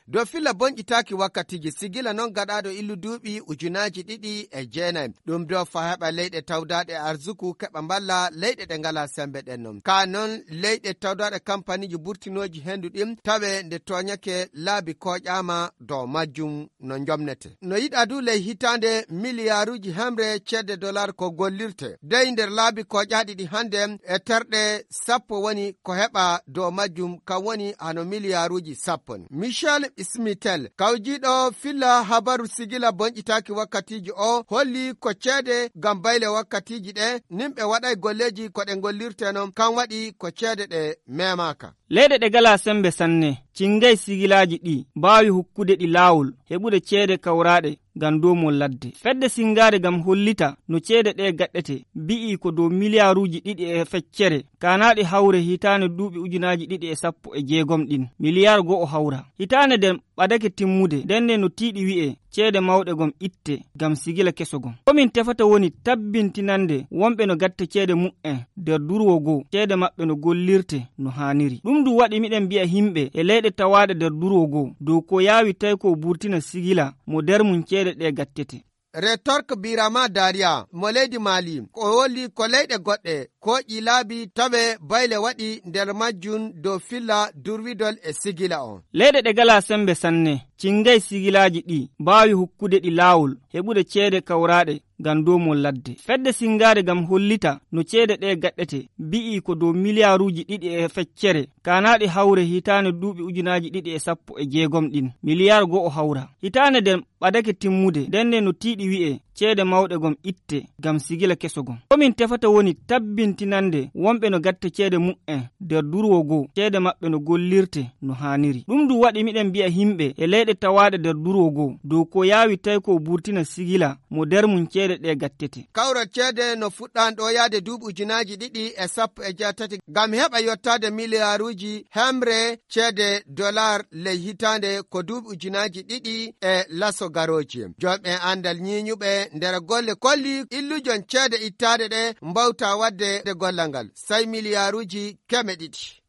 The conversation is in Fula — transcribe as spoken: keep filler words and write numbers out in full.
Dow filla bonƴitaaki wakkatiiji, sigila noon gaɗaaɗo illu duuɓi ujunaaji ɗiɗi e jeenayi. Ɗum dow fa heɓa leyɗe tawdaaɗe arsuku keɓa mballa leyɗe ɗe ngalaa semmbe ɗen noon. Kaa noon leyɗe tawdaaɗe kampaniiji burtinooji henndu ɗin tawe nde tooñake laabi kooƴaama dow majjum no njomnete. No yiɗaa du ley hitaande miliyaaruuji hemre ceede dollar ko gollirte. Dey nder laabi kooƴaaɗi ɗi hannde e terɗe sappo woni ko heɓa dow majjum, kam woni hano miliyaaruuji sappo ni. Michel Smitel, kawjiiɗo filla habaru sigila bonƴitaaki wakkatiiji o, holli ko ceede ngam bayle wakkatiiji ɗe, nimɓe waɗay golleeji ko ɗe ngollirte noon, kam waɗi ko ceede ɗe memaaka. Leyɗe ɗe galaa semmbe sanne, cingay sigilaaji ɗi, mbaawi hokkude ɗi laawol, heɓude ceede kawraaɗe, ngam doomol ladde. Fedde singaade ngam hollita no ceede ɗe gaɗɗete, mbi'i ko dow miliyaaruuji ɗiɗi e feccere, kaanaaɗi hawre hitaande duuɓi ujunaaji ɗiɗi e sappo e jeegom ɗin, miliyaar go'o hawra. Hitaande nden ɓadake timmude, nden ne no tiiɗi wi'e, ceede mawɗe gom itte, ngam sigila keso gom. Ko min tefata woni tabbintinande wonɓe no gatta ceede mu'en nder durwo goo, ceede maɓɓe no gollirte no haaniri. Ɗum du waɗi miɗen mbi'a himɓe e leyɗe tawaaɗe nder durwo goo, dow ko yaawi tawi ko burtina sigila mo nder mum ceede ɗe gattete. Retorque Birama Daria mo leydi Mali, ko holli ko leyɗe goɗɗe kooƴi laabi tawe bayle waɗi nder majjum dow filla durwidol e sigila on. Leyɗe ɗe galaa semmbe sanne, cingay sigilaaji ɗi, mbaawi hokkude ɗi laawol, heɓude ceede kawraaɗe, ngam doomol ladde. Fedde singaade ngam hollita no ceede ɗe gaɗɗete, mbi'i ko dow miliyaaruuji ɗiɗi e feccere, kaanaaɗi hawre hitaande duuɓi ujunaaji ɗiɗi e sappo e jeegom ɗin, miliyaar go'o hawra. Hitaande nden ɓadake timmude, nden ne no tiiɗi wi'e, ceede mawɗe gom itte, ngam sigila keso gom. Ko min tefata woni tabbintinande wonɓe no gatta ceede mu'en nder durwo goo, ceede maɓɓe no gollirte no haaniri. Ɗum du waɗi miɗen mbi'a himɓe e leyɗe tawaaɗe nder durwo goo, dow ko yaawi tawi ko burtina sigila mo nder mum ceede ɗe gattete. Kawral ceede no fuɗɗaani ɗo yaade duuɓi ujunaaji ɗiɗi e sappo e jeetati, ngam heɓa yottaade miliyaaruuji hemre ceede dollar ley hitaande ko duuɓi ujunaaji ɗiɗi e laso garooji. Jomɓe anndal ñiiñuɓe nder golle kolli illujon ceede ittaaɗe ɗe mbawta waɗde nde gollal ngal, say miliyaaruuji keme ɗiɗi.